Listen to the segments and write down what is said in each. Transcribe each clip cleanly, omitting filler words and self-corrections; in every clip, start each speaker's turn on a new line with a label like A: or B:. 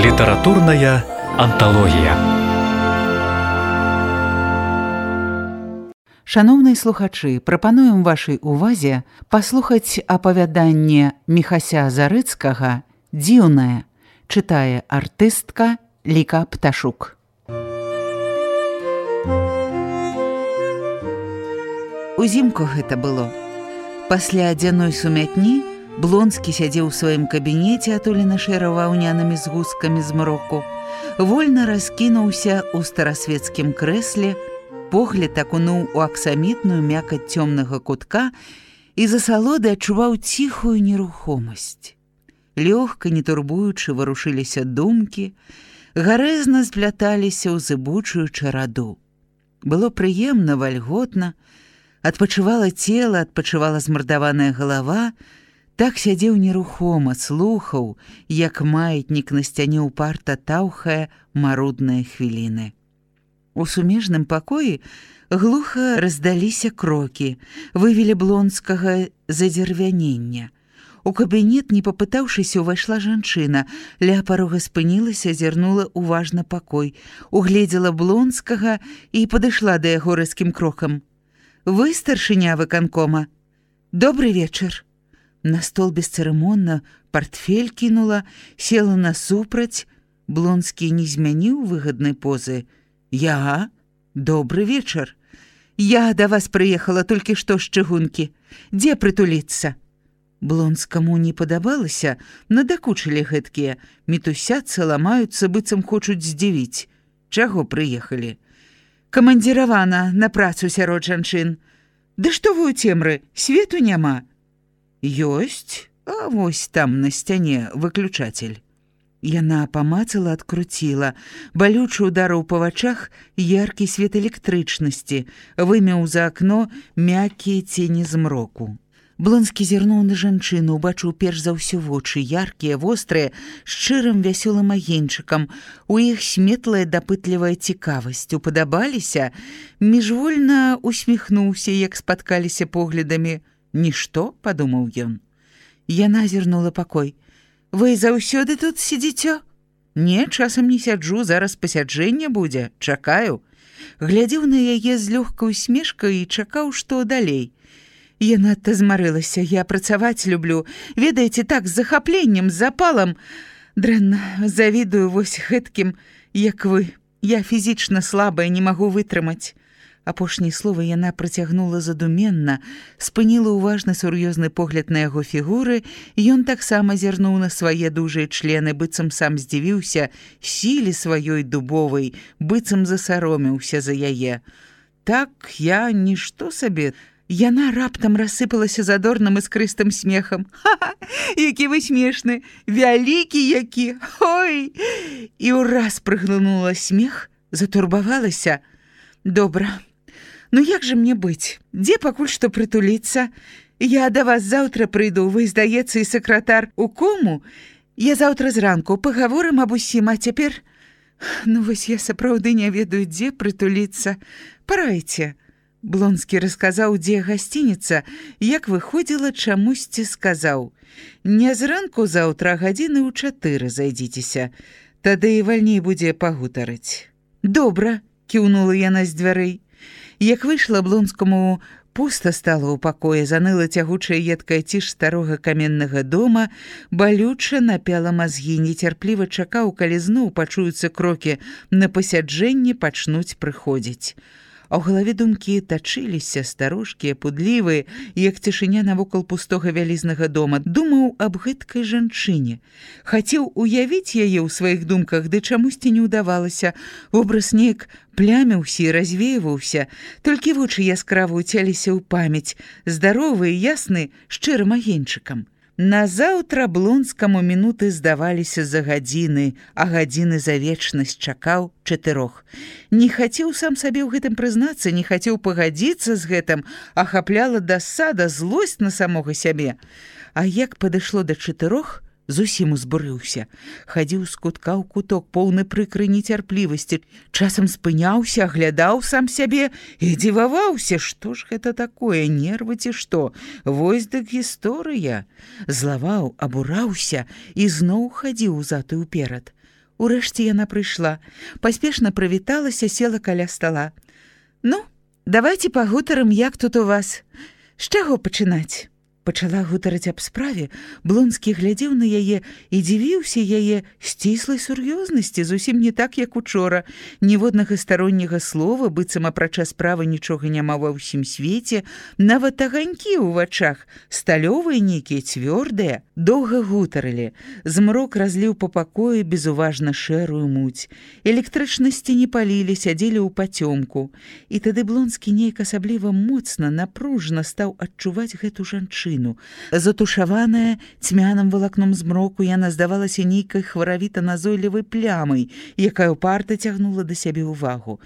A: Літаратурная анталогія.
B: Шаноўныя слухачы, прапануем вашай увазе паслухаць апавяданне Міхася Зарыцкага «Дзіўнае», чытае артыстка Ліка Пташук. Узімку гэта было. Пасля адзяной сумятні Блонскі сядзеў у сваім кабінеце, атулены шэра-ваўнянымі згусткамі змроку, вольна раскінуўся ў старасвецкім крэсле, погляд акунуў у аксамітную мякаць цёмнага кутка і з асалоды адчуваў ціхую нерухомасць. Лёгка, не турбуючы, варушыліся думкі, гарэзна спляталіся ў зыбучую чараду. Было прыемна, вальготна, адпачывала цела, адпачывала змардаваная галава, так сядзеў нерухома, слухаў, як маятнік на сцяне ўпарта таўхае марудныя хвіліны. У сумежным пакоі глуха раздаліся крокі, вывелі Блонскага задзервянення. У кабінет, не папытаўшыся, увайшла жанчына, ля парога спынілася, зірнула уважна пакой, угледзела Блонскага і падышла да яго рэзкім крокам. «Вы старшыня выканкома? Добры вечар». На стол бесцырымонна партфель кінула, села насупраць. Блонскі не змяніў выгаднай позы. «Я? Добры вечар. Я да вас прыехала толькі што з чыгункі. Дзе прытуліцца?» Блонскаму не падабалася, надакучылі гэткія, мітусяцца, ламаюцца, быццам хочуць здзівіць. Чаго прыехалі? «Камандзіравана на працу сярод жанчын». «Ды што вы ў цемры, свету няма». «Ёсць, а вось там на сцяне выключатель». Яна памацала, адкруціла. Балючы ударыў па вачах яркі свет электрычнасці, вымеў за акно мяккія цені змроку. Блонскі зірнуў на жанчыну, убачыў перш за ўсё вочы, яркія, вострыя, шчырым вясёлым агеньчыкам. У іх сметлая дапытлівая цікавасць. Упадабаліся, міжвольна усміхнуўся, як спаткаліся поглядамі. «Нішто», — падумаў ён. Яна зірнула пакой. «Вы заўсёды тут сидзіцё?» «Не, часам не сяджу, зараз пасяджэнне будзе, чакаю». Глядзеў на яе з лёгкай усмешкай і чакаў, што далей. «Я надта змарылася, я працаваць люблю. Ведаеце, так, з захапленнем, з запалам. Дрэнна, завідую вось гэткім, як вы. Я фізічна слабая, не магу вытрымаць». Апошнія словы яна працягнула задуменна, спыніла уважны сур'ёзны погляд на яго фігуры, ён таксама зірнуў на свае дужыя члены, быццам сам здзівіўся сіле сваёй дубовай, быццам засаромеўся за яе. «Так, я нішто сабе». Яна раптам рассыпалася задорным іскрыстым смехам. «Ха-ха, які вы смешны, вялікі які, ой!» І ўраз прыглынула смех, затурбавалася. «Добра. Ну як жа мне быць? Дзе пакуль што прытуліцца? Я да вас заўтра прыйду, вы, здаецца, і сакратар у кому? Я заўтра зранку пагаворым аб усім, а цяпер... Ну вось я сапраўды не ведаю, дзе прытуліцца. Парайце». Блонскі расказаў, дзе гасцініца, як выходзіла, чамусьці сказаў. «Не зранку заўтра, гадзіны ў 4 зайдзіцеся. Тады і вальней будзе пагутарыць». «Добра», — кіўнула яна з дзвярэй. Як выйшла, Блонскаму пуста стала ў пакоі, заныла цягучая едкая ціш старога каменнага дома, балюча напяла мазгі, нецярпліва чакаў, калі зноў пачуюцца крокі на пасяджэнне, пачнуць прыходзіць. А ў галаве думкі тачыліся, старушкія, пудлівыя, як цішыня навокал пустога вялізнага дома. Думаў аб гэткай жанчыне. Хацеў уявіць яе ў сваіх думках, ды чамусьці не ўдавалася. Вобраз неяк пляміўся і развейваўся. Толькі вочы яскрава ўцяліся ў памяць, здаровы і ясны, шчырым агеньчыкам. Назаўтра Блонскаму мінуты здаваліся за гадзіны, а гадзіны за вечнасць чакаў 4. Не хацеў сам сабе ў гэтым прызнацца, не хацеў пагадзіцца з гэтым, ахапляла дасада, злосць на самога сябе. А як падышло да 4, зусім узбурыўся. Хадзіў з кутка ў куток, поўны прыкрай нецярплівасці. Часам спыняўся, аглядаў сам сябе і дзіваваўся, што ж гэта такое, нервы ці што? Вось дык гісторыя. Злаваў, абураўся і зноў хадзіў узад і ўперад. Урэшце яна прыйшла, паспешна прывіталася, села каля стала. «Ну, давайте пагутарым, як тут у вас. З чаго пачынаць?» Пачала гутарыць аб справе, Блонскі глядзеў на яе і дзівіўся яе сціслай сур'ёзнасці, зусім не так, як учора. Ніводнага старонняга слова, быццам апрача справы нічога няма ва ўсім свеце, нават аганькі ў вачах, сталёвыя нейкія, цвёрдыя. Доўга гутарылі. Змрок разліў па пакоі безуважна шэрую муць. Электрычнасці не палілі, сядзелі ў пацёмку. І тады Блонскі нейк асабліва моцна, напружна стаў адчуваць гэту жанчыну. Затушаваная цьмяным валакном змроку, яна здавалася нейкай хваравіта-назойлівай плямай, якая ўпарта цягнула да сябе ўвагу.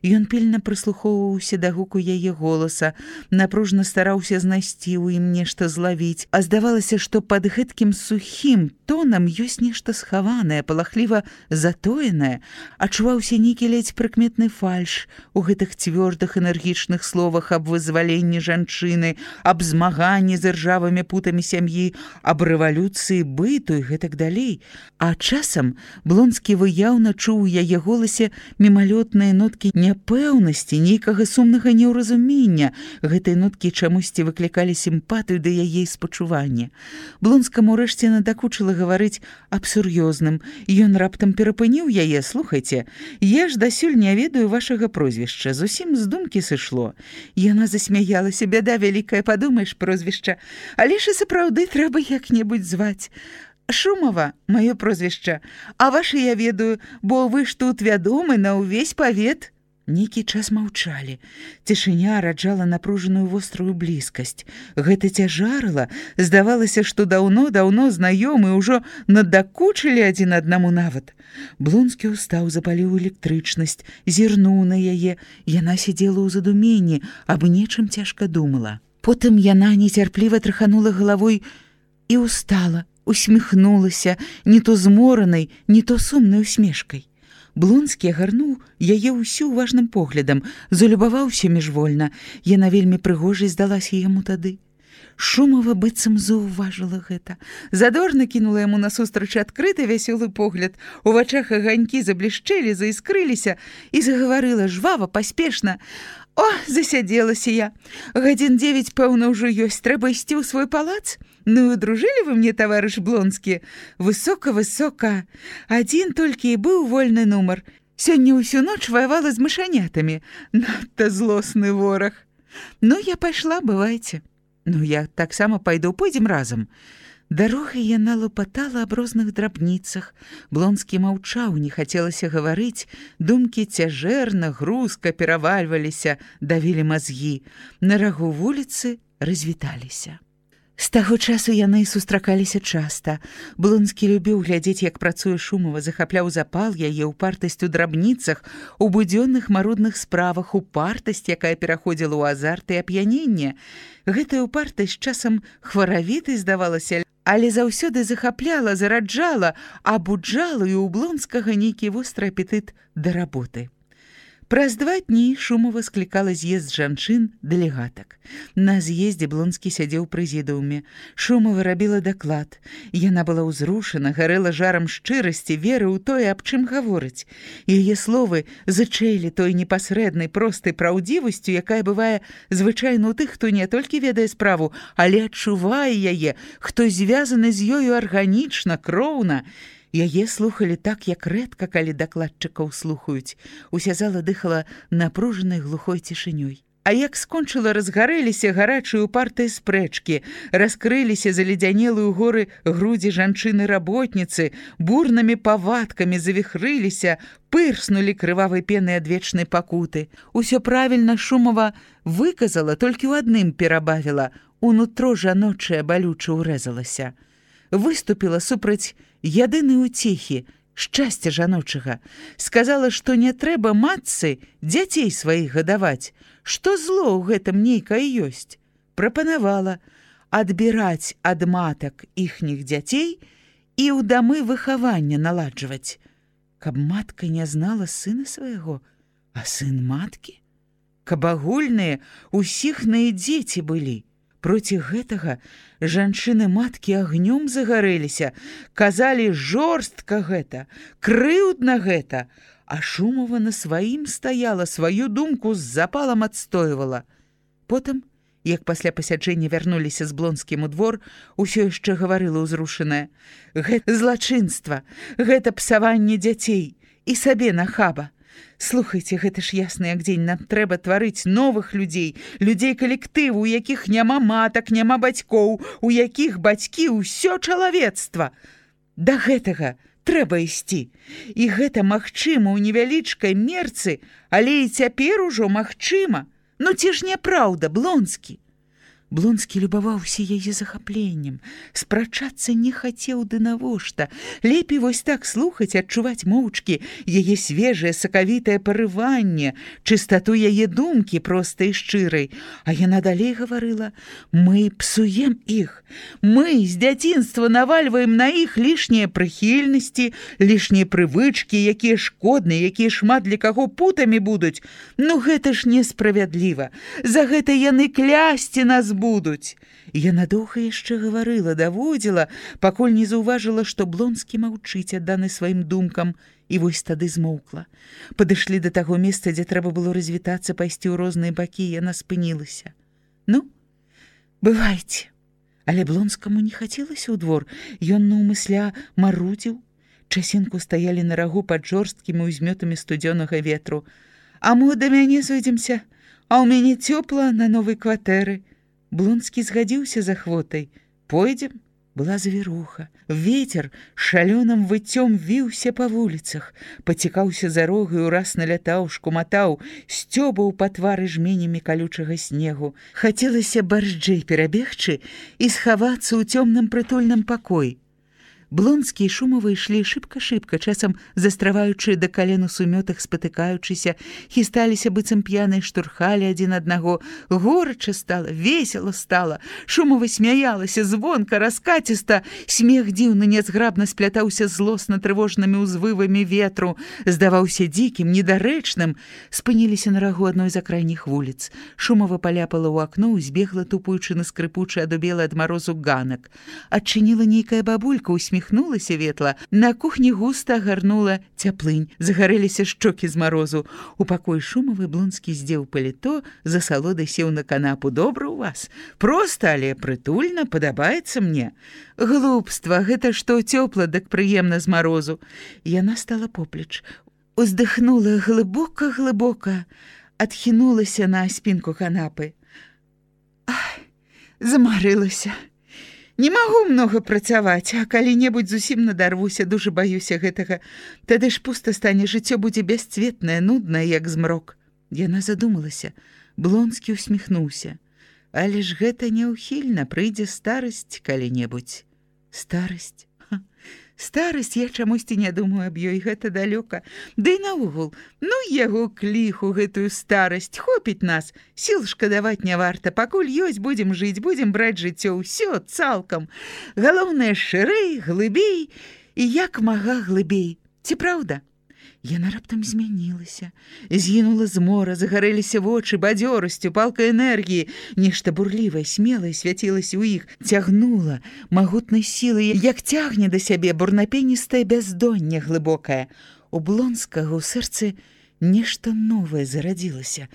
B: Ён пільна прыслухоўваўся да гуку яе голаса, напружна стараўся знайсці ў ім нешта злавіць, а здавалася, што пад гэткім сухім тонам ёсць нешта схаванае, палахліва затоенае. Адчуваўся нейкі ледзь прыкметны фальш у гэтых цвёрдых энергічных словах аб вызваленні жанчыны, аб змаганні з іржавымі путамі сям'і, аб рэвалюцыі быту і гэтак далей. А часам Блонскі выяўна чуў у яе голасе мімалётныя ноткі няпэўнасці, нейкага сумнага неўразумення. Гэтыя ноткі чамусьці выклікалі сімпатыю да яе і спачуванне. Блонскаму ўрэшце надакучыла гаварыць аб сур'ёзным. Ён раптам перапыніў яе: «Слухайце, я ж дасюль не ведаю вашага прозвішча, зусім з думкі сышло». Яна засмяялася: «Бяда вялікая, падумаеш, прозвішча. Але ж і сапраўды трэба як-небудзь зваць. Шумава, маё прозвішча, а ваше я ведаю, бо вы ж тут вядомы на ўвесь павет». Нейкі час маўчалі. Цішыня раджала напружаную вострую блізкасць. Гэта цяжарыла. Здавалася, што даўно-даўно знаёмы ўжо надакучылі адзін аднаму нават. Блонскі ўстаў, запаліў электрычнасць, зірнуў на яе. Яна сидзела ў задуменні, аб нечым цяжка думала. Потым яна нецярпліва траханула галавой і устала, усміхнулася, не то зморанай, не то сумнай усмешкай. Блонскі агарнуў яе ўсю уважным поглядам, залюбаваўся міжвольна. Яна вельмі прыгожай здалася яму тады. Шумава быццам заўважыла гэта. Задорна кінула яму насустрач адкрыты вясёлы погляд. У вачах аганькі заблішчэлі, заіскрыліся і загаварыла жвава, паспешна: «О, засядзелася я. Гадзін 9, пэўна, ўжо ёсць. Трэба ісці ў свой палац? Ну, дружылі вы мне, таварыш Блонскі? Высока-высока. Адзін толькі і быў вольны нумар. Сёння ўсю ноч ваявала з мышанятамі. Надта злосны вораг. Ну, я пайшла, бывайце. Ну, я таксама пайду, пойдзем разам». Дарогай яна лапатала аб розных драбніцах. Блонскі маўчаў, не хацелася гаварыць. Думкі цяжэрна, грузка перавальваліся, давілі мазгі. На рагу вуліцы развіталіся. З таго часу яны сустракаліся часта. Блонскі любіў глядзець, як працуе Шумава, захапляў запал яе, упартасць у драбніцах, у будзённых марудных справах, упартасць, якая пераходзіла ў азарт і ап'яненне. Гэтая упартасць часам хваравітай здавалася, але заўсёды захапляла, зараджала, абуджала, і ў Блонскага нейкі востры апетыт да работы. Праз 2 дні Шумава склікала з'езд жанчын дэлегатак. На з'ездзе Блонскі сядзеў у прэзідыуме. Шумава рабіла даклад. Яна была ўзрушана, гарэла жарам шчырасці, веры ў тое, аб чым гаворыць. Яе словы зычэлі той непасрэднай, простай праўдзівасцю, якая бывае звычайна ў тых, хто не толькі ведае справу, але адчувае яе, хто звязаны з ёю арганічна, кроўна. Яе слухалі так, як рэдка, калі дакладчыкаў слухаюць. Уся зала дыхала напружанай глухой цішынёй. А як скончыла, разгарэліся гарачыя упартыя спрэчкі, раскрыліся заледзянелыя ў горы грудзі жанчыны-работніцы, бурнымі павадкамі завіхрыліся, пырснулі крывавай пенай адвечнай пакуты. Усё правільна Шумава выказала, толькі ў адным перабавіла, унутро жаночае балюча ўрэзалася. Выступіла супраць ядынай уцехі, шчасця жаночага. Сказала, што не трэба матцы дзяцей сваіх гадаваць, што зло ў гэтым нейкае ёсць. Прапанавала адбіраць ад матак іхніх дзяцей і ў дамы выхавання наладжваць. Каб матка не знала сына свайго, а сын маткі? Каб агульныя ўсіхныя дзеці былі. Проці гэтага жанчыны-маткі агнём загарэліся, казалі жорстка гэта, крыўдна гэта, а Шумова на сваім стаяла, сваю думку з запалам адстойвала. Потым, як пасля пасяджэння вярнуліся з Блонскім у двор, усё яшчэ гаварыла ўзрушаная: «Гэта злачынства, гэта псаванне дзяцей і сабе нахаба. Слухайце, гэта ж ясна як дзень, нам трэба тварыць новых людзей, людзей калектыву, у якіх няма матак, няма бацькоў, у якіх бацькі ўсё чалавецтва. Да гэтага трэба ісці. І гэта магчыма ў невялічкай мерцы, але і цяпер ужо магчыма. Ну ці ж няпраўда, Блонскі?» Блонскі любаваўся яе захапленнем, спрачацца не хацеў ды навошта. Лепей вось так слухаць, адчуваць моўчкі яе свежае сакавітае парыванне, чыстату яе думкі простай і шчырай. А яна далей гаварыла: «Мы псуем іх, мы з дзяцінства навальваем на іх лішнія прыхільнасці, лішнія прывычкі, якія шкодныя, якія шмат для каго путамі будуць. Ну гэта ж несправядліва, за гэта яны клясці нас будуць». Яна доўга яшчэ гаварыла, даводзіла, пакуль не заўважыла, што Блонскі маўчыць, адданы сваім думкам, і вось тады змоўкла. Падышлі да таго месца, дзе трэба было развітацца, пайсці ў розныя бакі, яна спынілася. «Ну, бывайце». Але Блонскаму не хацелася ў двор, ён наўмысля марудзіў. Часінку стаялі на рагу пад жорсткімі ўзмётамі студзёнага ветру. «А мо да мяне зойдземся, а ў мяне цёпла на новай кватэры». Блонскі згадзіўся з ахвотай. «Пойдзем?» Была завіруха. Вецер шалёным выццём віўся па вуліцах, пацікаўся за рогаю, раз налятаў, шкуматаў, сцёбаў па твары жменямі калючага снегу. Хацелася барзджэй перабегчы і схавацца ў цёмным прытульным пакоі. Блонскі і Шумова ішлі шыбка-шыбка, часам застраваючы да кален у сумётах, спатыкаючыся, хісталіся быццам п'яныя, штурхалі адзін аднаго. Горача стала, весела стала. Шумова смяялася звонка, раскаціста. Смех дзіўны, нязграбна сплятаўся злосна трывожнымі ўзвывамі ветру, здаваўся дзікім, недарэчным. Спыніліся на рагу адной з акрайніх вуліц. Шумова паляпала ў акно, збегла, тупуючы на скрыпучы, адубелы ад марозу ганак. Адчыніла нейкая бабулька, усміхнулася ветла. На кухні густа агарнула цяплынь, загарэліся шчокі з марозу. У пакоі Шумавы Блонскі здзеў паліто, за салодай сеў на канапу. «Добра ў вас? Проста, але прытульна, падабаецца мне». «Глупства, гэта што цёпла, дык прыемна з марозу». Яна стала поплеч, уздыхнула глыбока-глыбока, адхінулася на спінку канапы. «Ах, замарылася. Не магу многа працаваць, а калі-небудзь зусім надарвуся, дужа баюся гэтага. Тады ж пуста стане, жыццё будзе бясцветнае, нуднае, як змрок». Яна задумалася. Блонскі усміхнуўся. «Але ж гэта няўхільна, прыйдзе старасць калі-небудзь». «Старасць? Старасць, я чамусьці не думаю аб ёй, гэта далёка. Ды і наогул, ну яго кліху гэтую старасць, хопіць нас, сіл шкадаваць не варта, пакуль ёсць, будзем жыць, будзем браць жыццё, ўсё цалкам. Галоўнае, шырэй, глыбей і як мага глыбей. Ці праўда?» Яна раптам змянілася, згінула змора, загарэліся вочы бадзёрасцю, палкай энергіі. Нешта бурлівае, смелае свяцілася ў іх, цягнула магутнай сілай, як цягне да сябе бурнапеністае бяздонне глыбокае. У Блонскага ў сэрцы нешта новае зарадзілася,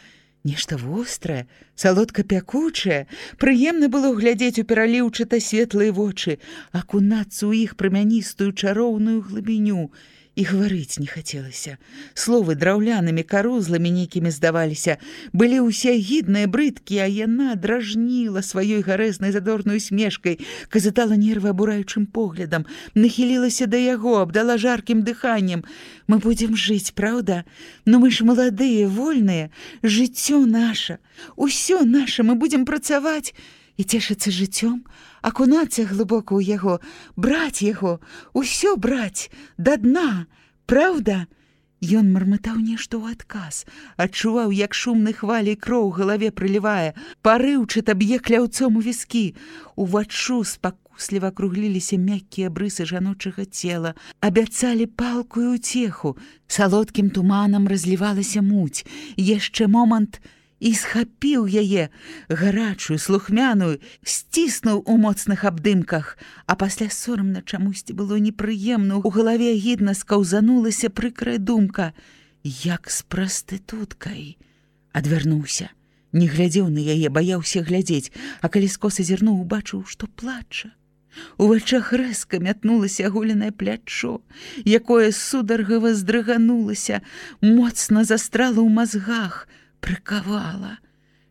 B: нешта вострае, салодка-пякучае. Прыемна было глядзець у пераліўчата светлыя вочы, акунацца ў іх прамяністую чароўную глыбіню. І гаварыць не хацелася. Словы драўлянымі карузламі нейкімі здаваліся, былі ўсе агідныя, брыдкія, а яна дражніла сваёй гарэзнай задорнай усмешкай, казытала нервы абураючым поглядам, нахілілася да яго, абдала жаркім дыханнем. «Мы будзем жыць, праўда? Ну мы ж маладыя, вольныя, жыццё наша, усё наша, мы будзем працаваць і цешыцца жыццём, акунацца глыбока ў яго, браць яго, усё браць, да дна, праўда?» Ён мармытаў нешта ў адказ, адчуваў, як шумнай хваляй кроў у галаве прылівае, парыўчата б'е кляўцом у віскі. Уваччу спакусліва акругліліся мяккія брысы жаночага цела, абяцалі палкую ўцеху. Салодкім туманам разлівалася муць. Яшчэ момант, і схапіў яе, гарачую, слухмяную, сціснуў у моцных абдымках, а пасля сорамна чамусьці было непрыемна, у галаве агідна скаўзанулася прыкрая думка, як з прастытуткай. Адвярнуўся, не глядзеў на яе, баяўся глядзець, а калі скоса зірнуў, убачыў, што плача. У вачах рэзка мятнулася аголенае плячо, якое сударгава здрыганулася, моцна застрала ў мазгах, прыкавала.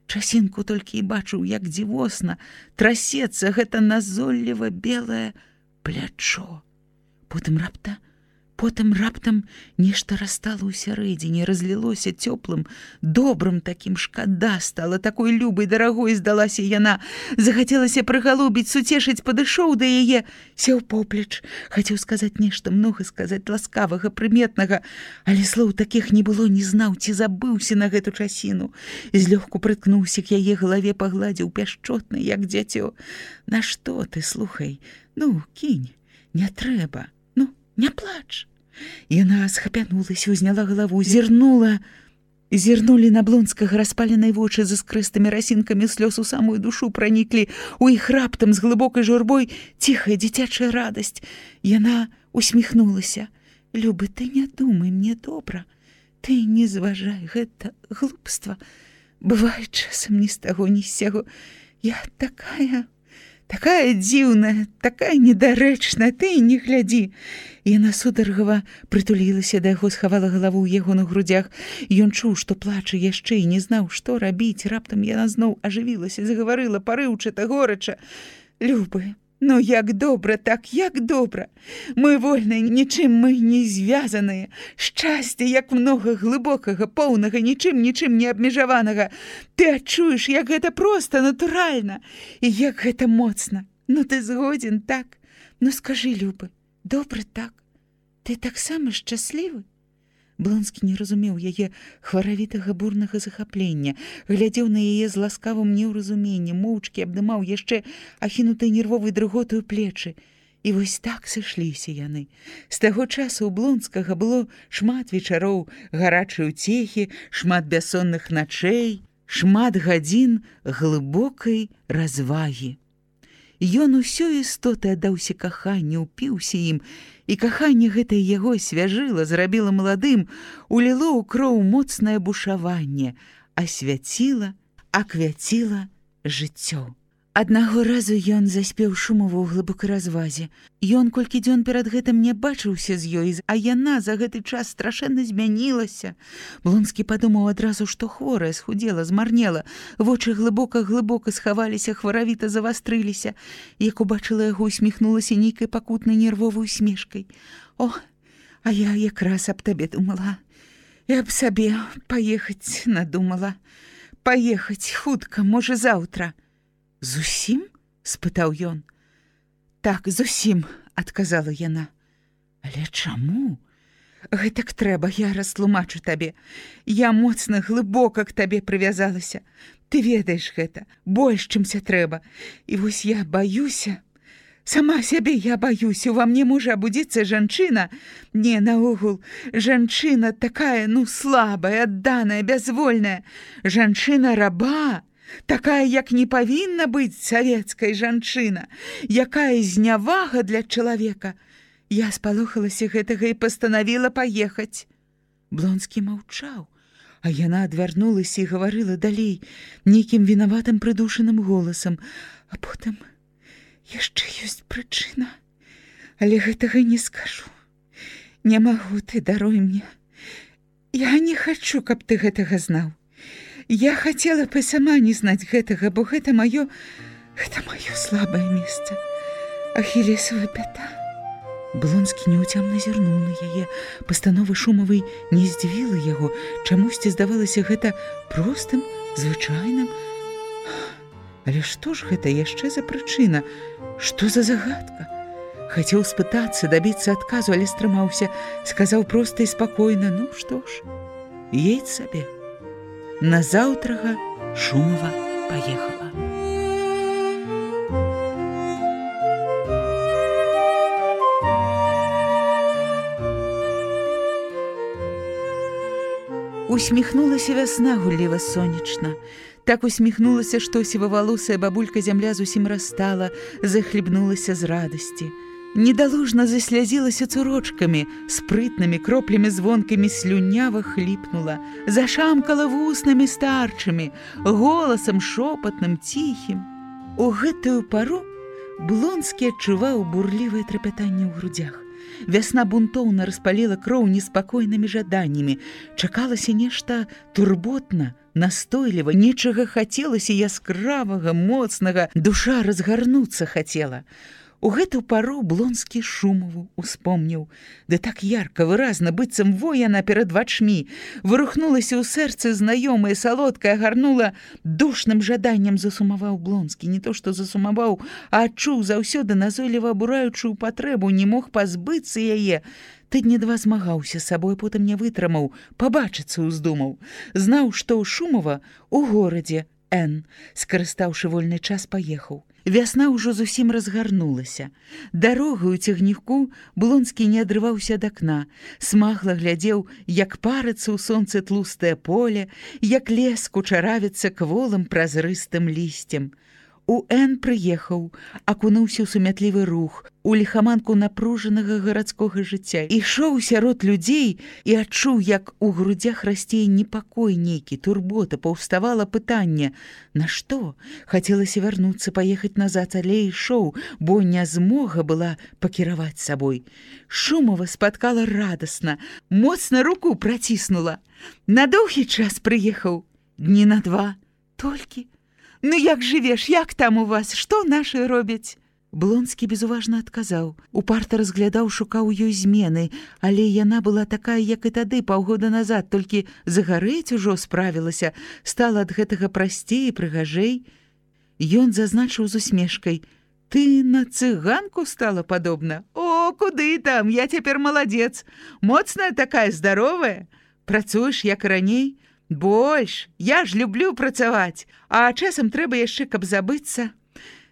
B: Часінку толькі і бачыў, як дзівосна трасецца гэта назолліва белае плячо. Потым раптам нешта растала ў сярэдзіне, разлілося цёплым, добрым такім, шкада стала, такой любай, дарагой здалася яна. Захацелася прыгалубіць, суцешыць, падышоў да яе, сеў поплеч, хацеў сказаць нешта, многа сказаць, ласкавага, прыметнага, але слоў такіх не было, не знаў, ці забыўся на гэту часіну. Злёгку прыткнуўся к яе галаве, пагладзіў пяшчотна, як дзяцё. Нашто ты, слухай, ну, кінь, не трэба, ну, не плач. Яна схапянулася, узняла галаву, зірнулі на Блонскага распаленыя вочы з іскрыстымі расінкамі слёз у самую душу праніклі, у іх раптам з глыбокай журбой ціхая дзіцячая радасць. Яна усміхнулася. Любы, ты не думай, мне добра, ты не зважай, гэта глупства. Бывае часам ні з таго, ні з сяго. Я такая дзіўная, такая недарэчная, ты не глядзі. Яна сударгава прытулілася да яго, схавала галаву ў яго на грудях. Ён чуў, што плача яшчэ і не знаў, што рабіць. Раптам яна зноў ажывілася, загаварыла парыўчата, горача. Любы, ну як добра, так як добра. Мы вольныя, нічым мы не звязаныя. Шчасце, як многа глыбокага, поўнага, нічым не абмежаванага. Ты адчуеш, як гэта проста, натуральна, і як гэта моцна. Ну ты згодзін, так? Ну скажы, Любы, добра так? Ты таксама шчаслівы? Блонскі не разумеў яе хваравітага бурнага захаплення, глядзеў на яе з ласкавым неўразуменнем, моўчкі абдымаў яшчэ ахінутай нервовай дрыготаю плечы. І вось так сышліся яны. З таго часу ў Блонскага было шмат вечароў гарачай уцехі, шмат бяссонных начэй, шмат гадзін глыбокай развагі. Ён усё істоты аддаўся каханню, упіўся ім, і каханне гэтае яго свяжыла, зрабіла маладым, уліло ў кроў моцнае бушаванне, асвяціла, аквяціла жыццё. Аднаго разу ён заспеў шумова ў глыбокай развазе. Ён колькі дзён перад гэтым не бачыўся з ёй, а яна за гэты час страшэнна змянілася. Блонскі падумаў адразу, што хворая, схудзела, змарнела. Вочы глыбока-глыбока схаваліся, хваравіта завастрыліся. Як убачыла яго, усміхнулася нейкай пакутнай нервовай усмешкай. О, а я якраз аб табе думала. І аб сабе паехаць надумала. Паехаць хутка, можа, заўтра. «Зусім?» – спытаў ён. «Так, зусім», – адказала яна. «Але чаму?» «Гэтак трэба, я растлумачу табе. Я моцна, глыбока к табе прывязалася. Ты ведаеш гэта, больш, чымся трэба. І вось я баюся. Сама сябе я баюся. Ува мне можа абудзіцца жанчына. Не, наогул, жанчына такая, ну, слабая, адданая, бязвольная. Жанчына-раба. Такая, як не павінна быць савецкая жанчына, якая знявага для чалавека. Я спалохалася гэтага і пастанавіла паехаць». Блонскі маўчаў, а яна адвярнулася і гаварыла далей нейкім вінаватым прыдушаным голасам. «А потым яшчэ ёсць прычына, але гэтага не скажу. Не магу, ты даруй мне. Я не хачу, каб ты гэтага знаў. Я хацела б сама не знаць гэтага, бо гэта маё слабае месца, ахілесава пята». Блонскі няўцямна зірнуў на яе. Пастанова шумавай не здзівіла яго. Чамусьці здавалася гэта простым, звычайным. Але што ж гэта яшчэ за прычына? Што за загадка? Хацеў спытацца, дабіцца адказу, але стрымаўся. Сказаў проста і спакойна: «Ну што ж, едь сабе». Назаўтрага Шумова паехала. У Усміхнулася вясна гулліва сонечна. Так усміхнулася, што сівавалосая бабулька зямля зусім растала, захлебнулася з радасці. Недаложна заслязілася цурочкамі, спрытнымі кроплямі звонкамі слюнява хліпнула, зашамкала вуснамі старчымі, голасам шопатным, ціхім. У гэтую пару Блонскі адчуваў бурлівае трапятанне ў грудзях. Вясна бунтоўна распаліла кроў неспакойнымі жаданнямі. Чакалася нешта турботна, настойліва, нечага хацелася яскравага, моцнага, душа разгарнуцца хацела. У гэту пару Блонскі Шумаву успомніў. Да так ярка, выразна, быццам во яна перад вачмі. Вырухнулася ў сэрцы знаёмае, салодкае, гарнула душным жаданнем. Засумаваў Блонскі. Не то, што засумаваў, а адчуў заўсёды назойліва абураючую патрэбу, не мог пазбыцца яе. Тыдні два змагаўся з сабой, потым не вытрымаў, пабачыцца ўздумаў. Знаў, што ў Шумава у горадзе Н, скарыстаўшы вольны час, паехаў. Вясна ўжо зусім разгарнулася. Дарогаю цягніку Блонскі не адрываўся ад акна. Смагла глядзеў, як парыцца ў сонцы тлустае поле, як лес кучаравіцца кволым празрыстым лісцем. У Н прыехаў, акунуўся ў сумятлівы рух, у ліхаманку напружанага гарадскога жыцця. Ішоў сярод людзей і адчуў, як у грудзях расце непакой нейкі, турбота, паўставала пытанне: нашто? Хацелася вярнуцца, паехаць назад, але ішоў, бо нязмога была пакіраваць сабой. Шумава спаткала радасна, моцна руку праціснула. На доўгі час прыехаў, дні на 2, толькі. Ну як жывеш, як там у вас, што нашы робяць? Блонскі безуважна адказаў. Упарта разглядаў, шукаў ёй змены, але яна была такая, як і тады, паўгода назад, толькі загарэць ужо справілася, стала ад гэтага прасцей і прыгажэй. Ён зазначыў з усмешкай: ты на цыганку стала падобна? О, куды там, я цяпер маладзец, моцная такая, здаровая. Працуеш, як раней? Больш, я ж люблю працаваць, а часам трэба яшчэ, каб забыцца.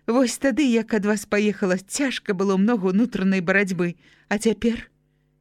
B: Вось тады, як ад вас паехала, цяжка было многа ўнутранай барацьбы. А цяпер?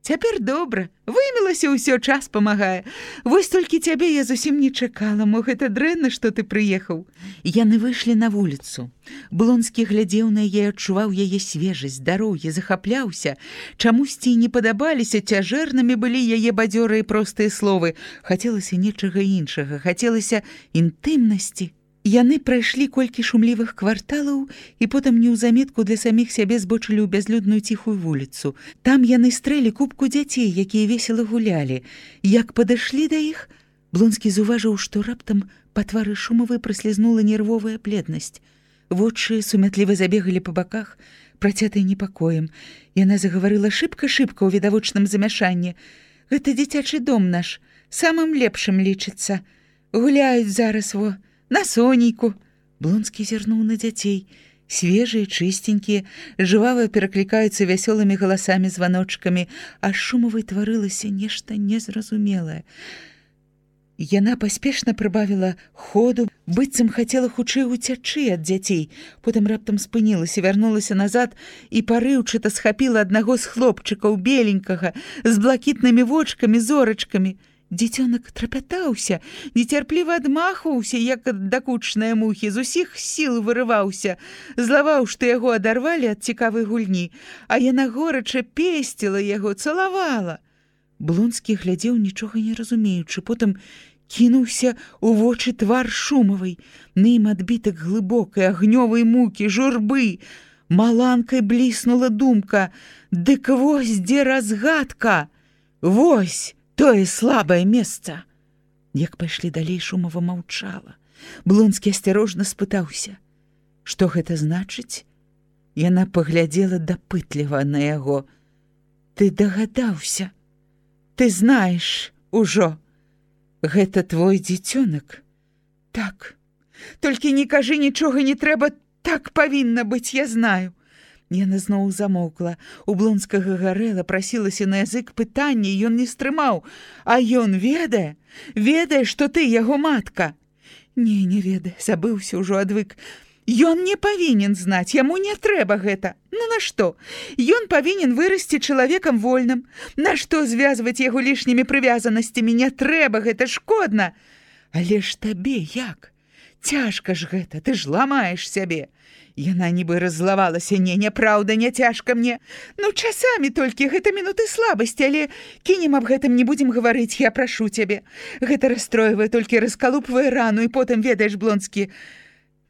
B: Цяпер добра, вымілася ўсё, час памагае. Вось толькі цябе я зусім не чакала, мо гэта дрэнна, што ты прыехаў. Яны выйшлі на вуліцу. Блонскі глядзеў на яе, адчуваў яе свежасць, здароўе, захапляўся. Чамусьці не падабаліся, цяжэрнымі былі яе бадзёрыя простыя словы. Хацелася нечага іншага, хацелася інтымнасці. Яны прайшлі колькі шумлівых кварталаў і потым неўзаметку для саміх сябе збочылі ў бязлюдную ціхую вуліцу. Там яны стрэлі купку дзяцей, якія весела гулялі. Як падышлі да іх, Блонскі заўважыў, што раптам па твары Шумавай праслізнула нервовая бледнасць. Вочы сумятліва забегалі па баках, працятыя непакоем. Яна загаварыла шыбка-шыбка ў відавочным замяшанні. Гэта дзіцячы дом наш, самым лепшым лічыцца. Гуляюць зараз, во, на Сонейку. Блонскі зірнуў на дзяцей. Свежыя, чыстенькія, жывава пераклікаюцца вясёлымі галасамі, званочкамі, а Шумавай тварылася нешта незразумелае. Яна паспешна прыбавіла ходу, быццам хацела хутчэй уцячы ад дзяцей. Потым раптам спынілася, вярнулася назад і парыўчата схапіла аднаго з хлопчыкаў, беленькага, з блакітнымі вочкамі, зорачкамі. Дзіцёнак трапятаўся, нецярпліва адмахваўся, як ад дакучныя мухі, з усіх сіл вырываўся, злаваў, што яго адарвалі ад цікавай гульні, а яна горача песціла яго, цалавала. Блонскі глядзеў, нічога не разумеючы, потым кінуўся у вочы твар Шумавай, на ім адбітак глыбокай агнёвай мукі, журбы. Маланкай бліснула думка: дык вось дзе разгадка, вось тое слабае месца. Як пайшлі далей, Шумава маўчала. Блонскі асцярожна спытаўся: што гэта значыць? Яна паглядзела дапытліва на яго. Ты дагадаўся? Ты знаеш ужо? Гэта твой дзіцёнак? Так. Толькі не кажы нічога, не трэба, так павінна быць, я знаю. Яна зноў замоўкла. У Блонскага гарэла, прасілася на язык пытанне, ён не стрымаў. А ён ведае? Ведае, што ты яго матка? Не ведае, забыўся ўжо, адвык. Ён не павінен знаць, яму не трэба гэта. Ну нашто? Ён павінен вырасці чалавекам вольным. Нашто звязваць яго лішнімі прывязанасцямі? Не трэба, гэта шкодна. Але ж табе як? Цяжка ж гэта, ты ж ламаеш сябе. Яна нібы раззлавалася. Не, няпраўда, не цяжка мне. Ну, часамі толькі, гэта мінуты слабасці, але кінем аб гэтым не будзем гаварыць, я прашу цябе. Гэта расстройвае, толькі раскалупвае рану, і потым, ведаеш, Блонскі,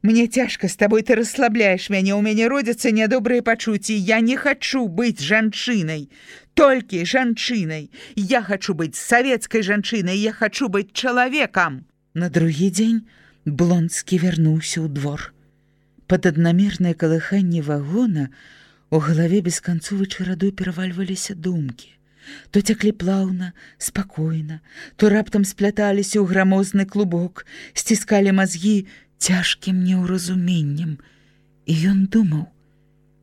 B: мне цяжка з табой, ты расслабляеш мяне, у мяне родзяцца нядобрыя пачуцці. Я не хачу быць жанчынай, толькі жанчынай. Я хачу быць савецкай жанчынай, я хачу быць чалавекам. На другі дзень Блонскі вярнуўся ў двор. Пад аднамернае калыханне вагона у галаве бесканцовай чарадой перавальваліся думкі. То цяклі плаўна, спакойна, то раптам спляталіся ў грамозны клубок, сціскалі мазгі цяжкім неўразуменнем. І ён думаў,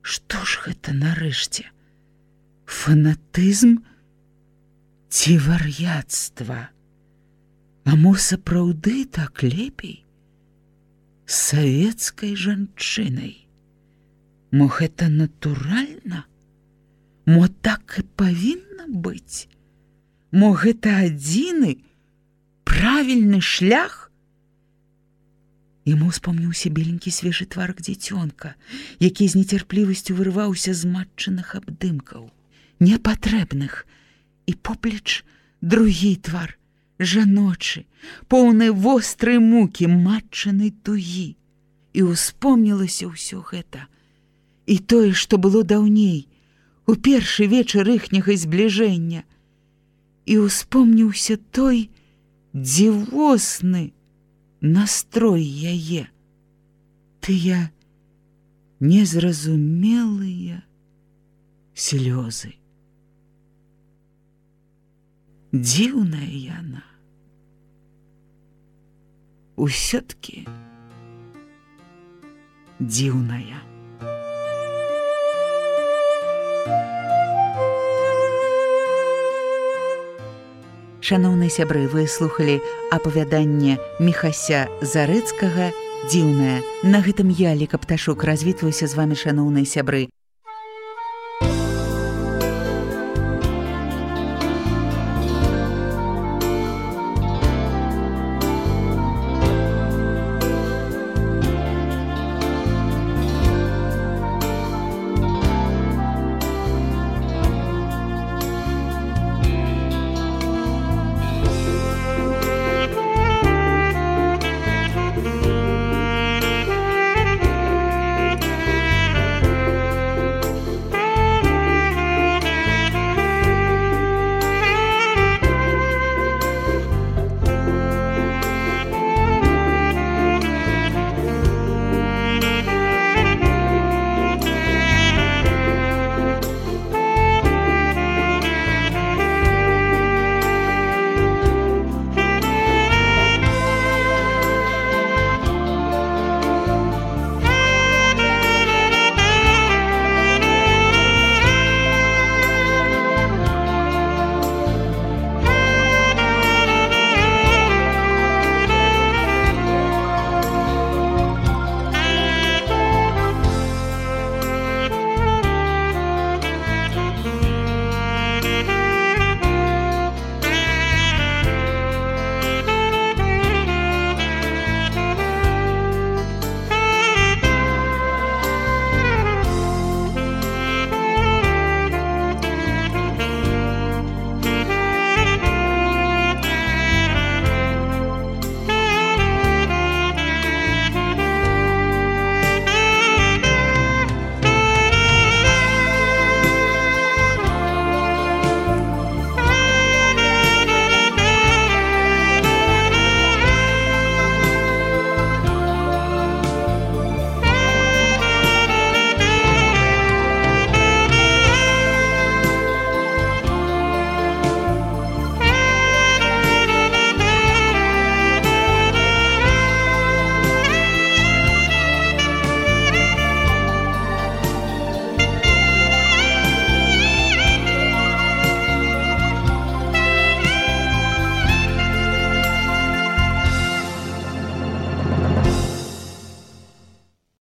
B: што ж гэта нарэшце? Фанатызм ці вар'яцтва? А мо сапраўды так лепей? Савецкай жанчынай. Мо гэта натуральна? Мо так і павінна быць? Мо гэта адзіны правільны шлях? Яму успомніўся беленькі свежы тварак дзіцёнка, які з нецярплівасцю вырываўся з матчыных абдымкаў, непатрэбных, і поплеч другі твар, жаночы, поўны вострай мукі, матчанай тугі. І успомнілася ўсё гэта. І тое, што было даўней, у першы вечар іхняга збліжэння. І успомніўся той дзівосны настрой яе. Тыя незразумелыя слёзы. Дзіўная яна. Усё-ткі дзіўная. Шаноўныя сябры, вы слухалі апавяданне Міхася Зарэцкага «Дзіўная». На гэтым я, Ліка Пташук, развітваюся з вамі, шаноўныя сябры.